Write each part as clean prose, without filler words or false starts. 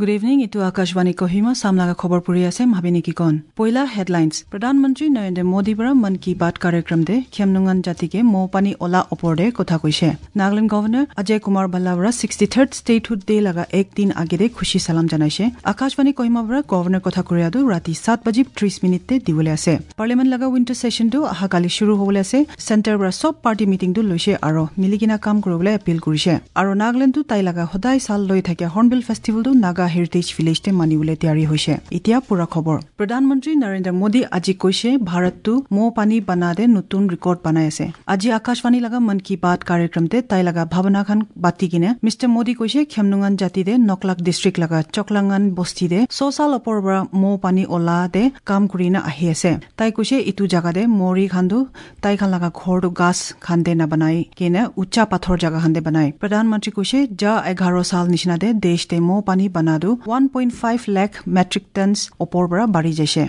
Good evening, এইটো আকাশবাণী কহিমা। চামলাগা খবৰ পঢ়ি আছে ভাবি নেকি কন। পইলা হেডলাইনছ। প্ৰধানমন্ত্ৰী নৰেন্দ্ৰ মোদী পৰা মন কী বাত কাৰ্যক্ৰম দে খেমনুঙান জাতিকে মৌ পানী ওলা ওপৰদে কথা কৈছে। নাগালেণ্ড গভৰ্ণৰ অজয় কুমাৰ ভাল্লা পৰা 63rd statehood day লগা একদিন আগেৰে খুচি চালাম জনাইছে। আকাশবাণী কহিমা পৰা গভৰ্ণৰ কথা কৰিয়াটো ৰাতি 7:30 দিবলৈ আছে। পাৰ্লিয়ামেণ্ট লগা উইণ্টাৰ ছেশ্যনটো অহাকালি শুৰু হ'বলৈ আছে। চেণ্টাৰ পৰা চব পাৰ্টি মিটিংটো লৈছে আৰু মিলি কিনা কাম কৰিবলৈ এপিল কৰিছে। আৰু নাগালেণ্ডটো তাই লগা সদায় চাল লৈ থাকে হৰ্ণবিল ফেষ্টিভেলটো নাগা হেৰিটেজ ভিলেজতে মানিবলৈ তৈয়াৰী হৈছে। এতিয়া পুৰা খবৰ। প্ৰধানমন্ত্ৰী নৰেন্দ্ৰ মোদী আজি কৈছে ভাৰতটো মৌ পানী বনাদে নতুন ৰেকৰ্ড বনাই আছে। আজি আকাশবাণী লগা মন কী বাত কাৰ্যক্ৰমতে তাই লগা ভাৱনাখন বাতি কিনে মিষ্টাৰ মোদী কৈছে খেমনুঙান জাতিদে নকলাক ডিষ্ট্ৰিক্ট লগা চকলাঙান বস্তিদে 100 সাল ওপৰ পৰা মৌ পানী ওলা দে কাম কৰি না আহি আছে। তাই কৈছে ইটো জাগাদে মৰি খান্দু তাই খান লগা ঘৰটো গাছ খান্দে নাবানাই কিনে উচ্চা পাথৰ জাগা খান্দে বনাই। প্ৰধানমন্ত্ৰী কৈছে যা 11 সাল নিচিনা দে দেশ দে মৌ পানী বনাদু 1.5 লাখ মেট্ৰিক টনছ ওপৰ পৰা বাঢ়ি যাইছে।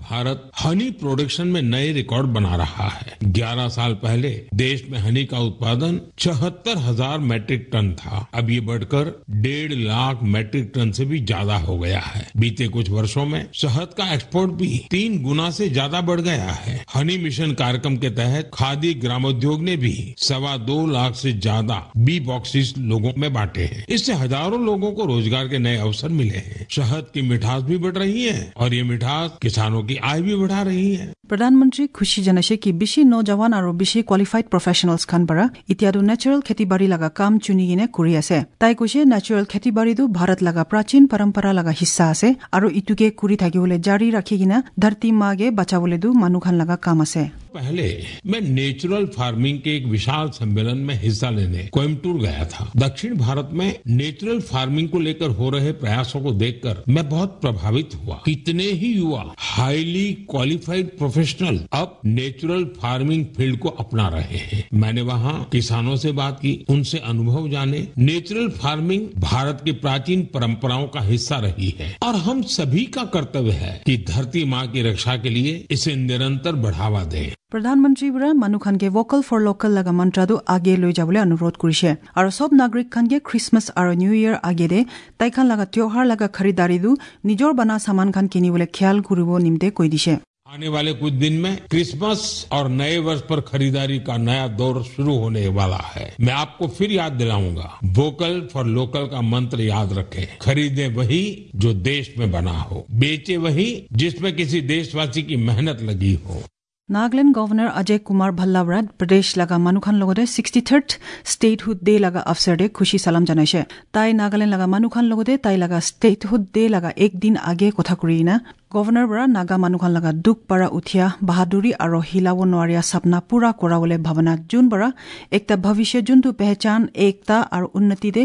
भारत हनी प्रोडक्शन में नए रिकॉर्ड बना रहा है। 11 साल पहले देश में हनी का उत्पादन 76,000 मैट्रिक टन था, अब ये बढ़कर 1.5 लाख मैट्रिक टन से भी ज्यादा हो गया है। बीते कुछ वर्षों में शहद का एक्सपोर्ट भी 3 गुना से ज्यादा बढ़ गया है। हनी मिशन कार्यक्रम के तहत खादी ग्रामोद्योग ने भी 2.25 लाख से ज्यादा बी बॉक्सेस लोगों में बांटे हैं। इससे हजारों लोगों को रोजगार के नए अवसर मिले हैं। शहद की मिठास भी बढ़ रही है और ये मिठास किसानों की आय भी बढ़ा रही है। প্ৰধানমন্ত্ৰী খুচি জনাইছে কি বেছি নজৱান আৰু বেছি কোৱালিফাইড প্ৰফেচনেলছ খান পৰা এতিয়াতো নেচাৰেল খেতিবাৰী লগা কাম চুনি কিনে কৰি আছে। তাই কৈছে নেচাৰেল খেতিবাৰীটো ভাৰত লগা প্ৰাচীন পৰম্পৰা লগা হিস্সা আছে আৰু ইটোকে কৰি থাকিবলৈ জাৰি ৰাখি কিনে ধৰতী মাগে বাচাবলৈতো মানুহ খান লগা কাম আছে। पहले मैं नेचुरल फार्मिंग के एक विशाल सम्मेलन में हिस्सा लेने कोयम्बटूर गया था। दक्षिण भारत में नेचुरल फार्मिंग को लेकर हो रहे प्रयासों को देखकर मैं बहुत प्रभावित हुआ। कितने ही युवा हाईली क्वालिफाइड प्रोफेशनल अब नेचुरल फार्मिंग फील्ड को अपना रहे हैं। मैंने वहाँ किसानों से बात की, उनसे अनुभव जाने। नेचुरल फार्मिंग भारत की प्राचीन परंपराओं का हिस्सा रही है और हम सभी का कर्तव्य है कि धरती माँ की रक्षा के लिए इसे निरंतर बढ़ावा दें। প্ৰধানমন্ত্ৰী পৰা মানুহখানকে ভোকেল ফৰ লোকেল লগা মন্ত্ৰাটো আগে লৈ যাবলৈ অনুৰোধ কৰিছে আৰু চব নাগৰিক খানকে খ্ৰীষ্টমাছ আৰু নিউ ইয়েৰ আগেৰে তাইখান লগা त्योहार লগা খৰিদাৰীটো নিজৰ বনা সামান খান কিনিবলৈ খেয়াল কৰিব নিমতে কৈ দিছে। आने वाले कुछ दिन में क्रिसमस और नए वर्ष पर खरीदारी का नया दौर शुरू होने वाला है। मैं आपको फिर याद दिलाऊंगा, वोकल फॉर लोकल का मंत्र याद रखें। खरीदें वही जो देश में बना हो, बेचे वही जिसमें किसी देशवासी की मेहनत लगी हो। নাগালেণ্ড গভৰ্ণৰ অজয় কুমাৰ ভাল্লা পৰা প্ৰদেশ লগা মানুহখান লগতে 63rd statehood day লগা অৱসৰতে খুচি চালাম জনাইছে। তাই নাগালেণ্ড লগা মানুহখান লগতে তাই লগা ষ্টেটহুড ডে লগা একদিন আগে কথা কৰি না গভৰ্ণৰ পৰা নাগা মানুহখান লগা দুখ পৰা উঠিয়া বাহাদুৰী আৰু হিলাব নোৱাৰিয়া চাপনা পুৰা কৰাবলৈ ভাৱনা যোন পৰা একটা ভৱিষ্য যোনটো পেহচান একতা আৰু উন্নতিতে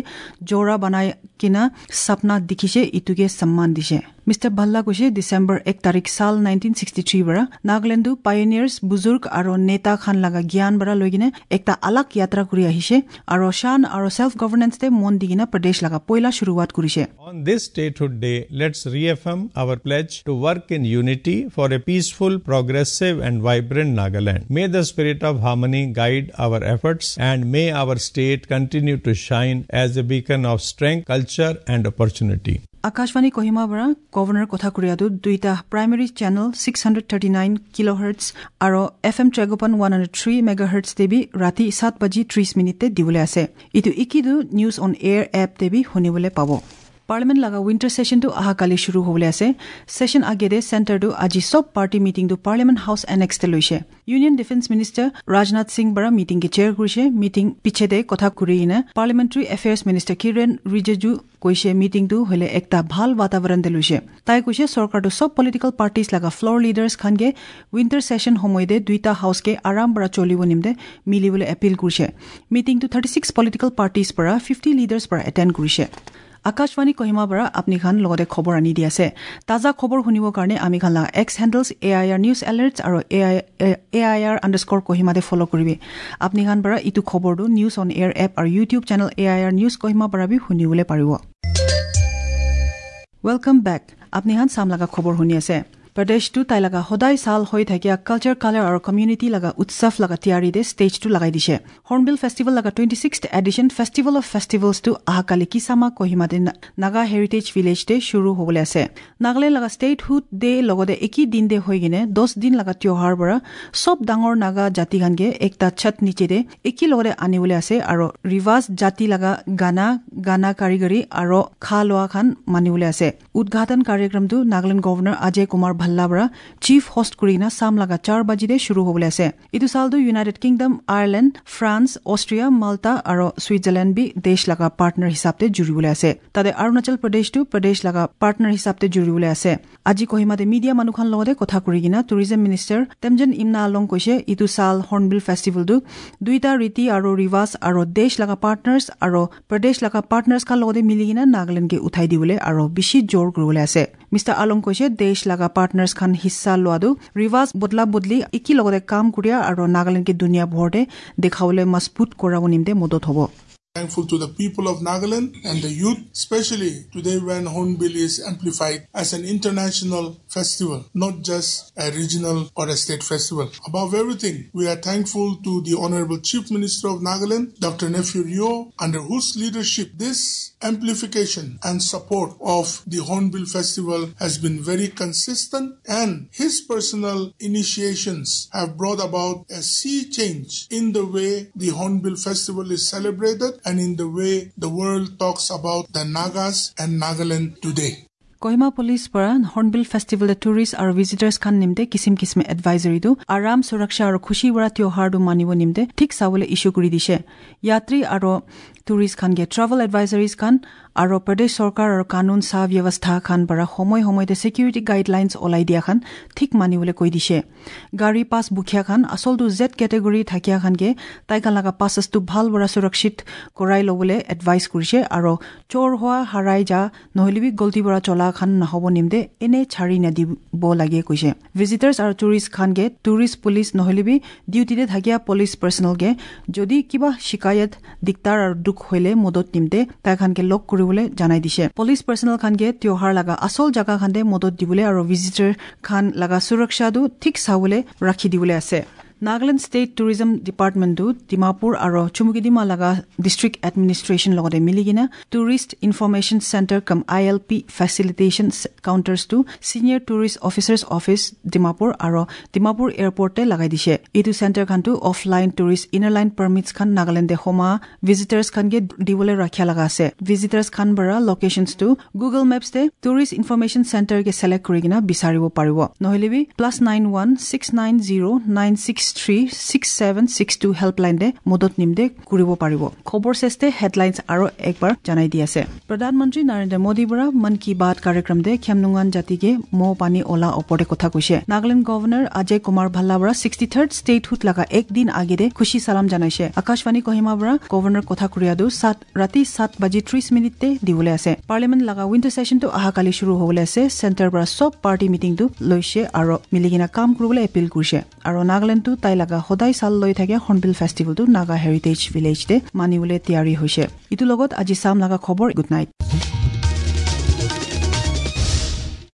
জোৰা বনাই কিনা চাপনা দেখিছে ইটোকে সন্মান দিছে। মিষ্টাৰ ভাল্লা কৈছে ডিচেম্বৰ 1 তাৰিখ সাল 1963 পৰা নাগালেণ্ডো পায়নিয়াৰ্ছ বুজুৰ্গ আৰু নেতা খান লগা জ্ঞান পৰা লৈ কিনে একটা আলাগ যাত্ৰা কৰি আহিছে আৰু শান আৰু চেল্ফ গভৰ্ণেন্সতে মন দি কিনে প্ৰদেশ লগা পইলা শুৰুৱাত কৰিছে। On this statehood day, let's reaffirm our pledge to work in unity for a peaceful, progressive and vibrant Nagaland. May the spirit of harmony guide our efforts and may our state continue to shine as a beacon of strength, culture and opportunity. Akashvani Kohima পৰা governor কথা কৰিয়াটো দুইটা primary channel 639 kilohertz আৰু FM Tragopan 103 megahertz দেবি ৰাতি 7:30 দিবলৈ আছে। ইটো ইকিদু news on air app দেবি শুনিবলৈ পাব। পাৰ্লিয়ামেণ্ট লগা উইণ্টাৰ ছেশ্যনটো অহাকালি শুৰু হ'বলৈ আছে। ছেশ্যন আগেৰে চেণ্টাৰটো আজি চব পাৰ্টি মিটিংটো পাৰ্লিয়ামেণ্ট হাউচ এনেক্সতে লৈছে। Union defence minister Rajnath Singh পৰা মিটিংকে চেয়াৰ কৰিছে। মিটিং পিছেতে কথা কৰি কিনে parliamentary affairs minister Kiren Rijiju কৈছে মিটিংটো হ'লে একটা ভাল বাতাবৰণতে লৈছে। তাই কৈছে চৰকাৰটো চব পলিটিকেল পাৰ্টিজ লগা ফ্ল'ৰ লিডাৰ্ছ খানকে উইণ্টাৰ ছেশ্যন সময়তে দুইটা হাউচকে আৰাম পৰা চলিব নিমতে মিলিবলৈ এপিল কৰিছে। মিটিংটো 36 পলিটিকেল পাৰ্টিজ পৰা 50 লিডাৰ্ছ পৰা এটেণ্ড কৰিছে। আকাশবাণী কহিমা পৰা আপুনি খান লগতে খবৰ আনি দি আছে। তাজা খবৰ শুনিবৰ কাৰণে আমি খান লগা X handles AIR news alerts আৰু AIR underscore কহিমাতে ফ'ল' কৰিবি। আপুনি খান পৰা ইটো খবৰটো নিউজ অন এয়াৰ এপ আৰু YouTube channel AIR news Kohima পৰা বি শুনিবলৈ পাৰিব। Welcome back. আপুনি খান চাম লগা খবৰ শুনি আছে। প্ৰদেশটো তাই লগা সদায় চাল হৈ থাকিয়া কালচাৰ কালাৰ আৰু কমিউনিটি লগা উৎসৱ লগা তিয়াৰিতে ষ্টেজটো লগাই দিছে। হৰ্ণবিল ফেষ্টিভেল লগা 26th edition festival of ফেষ্টিভেলছটো অহাকালি কিচামা কহিমাতে নাগা হেৰিটেজ ভিলেজতে শুৰু হ'বলৈ আছে। নাগালেণ্ড লগা ষ্টেটহুড ডে লগতে একেই দিন দে হৈ কিনে 10 দিন লগা ত্যোহাৰ পৰা চব ডাঙৰ নাগা জাতিখানকে একটা ছাত নিচেতে একেই লগতে আনিবলৈ আছে আৰু ৰিৱাজ জাতি লগা গানা গানা কাৰিগৰী আৰু খা লোৱা খান মানিবলৈ আছে। উদ্ঘাটন কাৰ্যক্ৰমটো নাগালেণ্ড গভৰ্ণৰ অজয় কুমাৰ ভাল্লা পৰা চিফ হোষ্ট কৰি কিনে চাম লগা 4 বাজিতে শুৰু হ'বলৈ আছে। এইটো চালটো United Kingdom, Ireland, France, Austria, Malta আৰু ছুইজাৰলেণ্ড বি দেশ লগা পাৰ্টনাৰ হিচাপে জুৰিবলৈ আছে। তাতে অৰুণাচল প্ৰদেশটো প্ৰদেশ লগা পাৰ্টনাৰ হিচাপে জুৰিবলৈ আছে। আজি কহিমাতে মিডিয়া মানুহখন লগতে কথা কৰি কিনে টুৰিজম মিনিষ্টাৰ তেমজেন ইমনা আলং কৈছে ইটো চাল হৰ্ণবিল ফেষ্টিভেলটো দুইটা ৰীতি আৰু ৰিৱাজ আৰু দেশ লগা পাৰ্টনাৰ্ছ আৰু প্ৰদেশ লগা পাৰ্টনাৰ্ছ খান লগতে মিলি কিনে নাগালেণ্ডকে উঠাই দিবলৈ আৰু বেছি জোৰ কৰিবলৈ আছে। মিষ্টাৰ আলং কৈছে দেশ লগা পাৰ্টনাৰ্ছ খান হিচ্ছা লোৱাটো ৰিৱাজ বদলা বদলি একে লগতে কাম কৰিয়া আৰু নাগালেণ্ডকে দুনিয়া ভৰতে দেখাবলৈ মজবুত কৰাব নিমিত্তে মদত হ'ব। Thankful to the people of Nagaland and the youth, especially today when Hornbill is amplified as an international festival, not just a regional or a state festival. Above everything, we are thankful to the Honorable Chief Minister of Nagaland, Dr. Neiphiu Rio, under whose leadership this amplification and support of the Hornbill Festival has been very consistent, and his personal initiations have brought about a sea change in the way the Hornbill Festival is celebrated and in the way the world talks about the Nagas and Nagaland today. Kohima police পৰা hornbill festival tourist আৰু ভিজিটাৰ্ছ খান নিমতে কিচিম কিচিমে এডভাইজৰীটো আৰাম সুৰক্ষা আৰু খুচি বৰা ত্যোহাৰটো মানিব নিমতে ঠিক চাবলৈ issue কৰি দিছে। যাত্ৰী আৰু টুৰিষ্ট খানকে ট্ৰেভেল এডভাইজৰীজ খান আৰু প্ৰদেশ চৰকাৰ আৰু কানুন সা ব্যৱস্থা খান পৰা সময় সময়তে ছিকিউৰিটি গাইডলাইনছ ওলাই দিয়া খান ঠিক মানিবলৈ কৈ দিছে। গাড়ী পাছ বুখিয়া খান আচলটো জেড কেটেগৰী থাকিয়া খানকে তাইখান লগা পাছটো ভাল পৰা সুৰক্ষিত কৰাই ল'বলৈ এডভাইচ কৰিছে আৰু চোৰ হোৱা হাৰাই যা নহ'লে গল্টি পৰা চলা খান নহ'ব নিমদে এনে ছাৰি নিদিব লাগে কৈছে। ভিজিটাৰ্ছ আৰু টুৰিষ্ট খানকে টুৰিষ্ট পুলিচ নহ'লে ডিউটিতে থাকিয়া পুলিচ পাৰ্চনেলকে যদি কিবা শিকায়ত দিগদাৰ আৰু দুখ হলে মদত নিমদে তাইখানকে লগ কৰিবলৈ জনাই দিছে। পুলিচ পাৰ্চনেল খানকে ত্যোহাৰ লগা আচল জাগা খানতে মদত দিবলৈ আৰু ভিজিটাৰ খান লগা সুৰক্ষাটো ঠিক চাবলৈ ৰাখি দিবলৈ আছে। নাগালেণ্ড ষ্টেট টুৰিজম ডিপাৰ্টমেণ্টটো ডিমাপুৰ আৰু চুমুকিডিমা লগা ডিষ্ট্ৰিক্ট এডমিনিষ্ট্ৰেশ্যন লগতে মিলি কিনে tourist information centre cum ILP facilitation কাউণ্টাৰ্ছটো senior tourist officers office Dimapur আৰু ডিমাপুৰ এয়াৰপৰ্টে লগাই দিছে। এইটো চেণ্টাৰখনটো offline tourist inner line permits খান নাগালেণ্ডে সোমা ভিজিটাৰ্ছ খানকে দিবলৈ ৰাখিয়া লগা আছে। ভিজিটাৰ্ছ খান পৰা লোকেশ্যনছটো গুগল মেপছতে টুৰিষ্ট ইনফৰমেশ্যন চেণ্টাৰকে ছিলেক্ট কৰি কিনে বিচাৰিব পাৰিব। নহ'লে বি +91 690 963 6762 হেল্পলাইন দে মদত নিমদে কৰিব পাৰিব। খবৰ চেষ্টে হেডলাইনছ আৰু একবাৰ জনাই দি আছে। প্ৰধানমন্ত্ৰী নৰেন্দ্ৰ মোদী পৰা মন কি বাত কাৰ্যক্ৰম দে খেমনুঙান জাতিকে মৌ পানী ওলা ওপৰতে কথা কৈছে। নাগালেণ্ড গভৰ্ণৰ অজয় কুমাৰ ভাল্লা পৰা 63rd statehood লগা একদিন আগেৰে খুচি চালাম জনাইছে। আকাশবাণী কহিমা পৰা গভৰ্ণৰ কথা কৰিয়াদো ৰাতি 7:30 দিবলৈ আছে। পাৰ্লিমেণ্ট লগা উইণ্টাৰ ছেশ্যনটো অহাকালি শুৰু হ'বলৈ আছে। চেণ্টাৰ পৰা চব পাৰ্টি মিটিংটো লৈছে আৰু মিলি কিনে কাম কৰিবলৈ এপিল কৰিছে। আৰু নাগালেণ্ডটো তাই লগা সদায় চাল লৈ থাকে হৰ্ণবিল ফেষ্টিভেলটো নাগা হেৰিটেজ ভিলেজতে মানিবলৈ তিয়াৰি হৈছে। ইটোৰ লগত আজি চাম লগা খবৰ। Good night.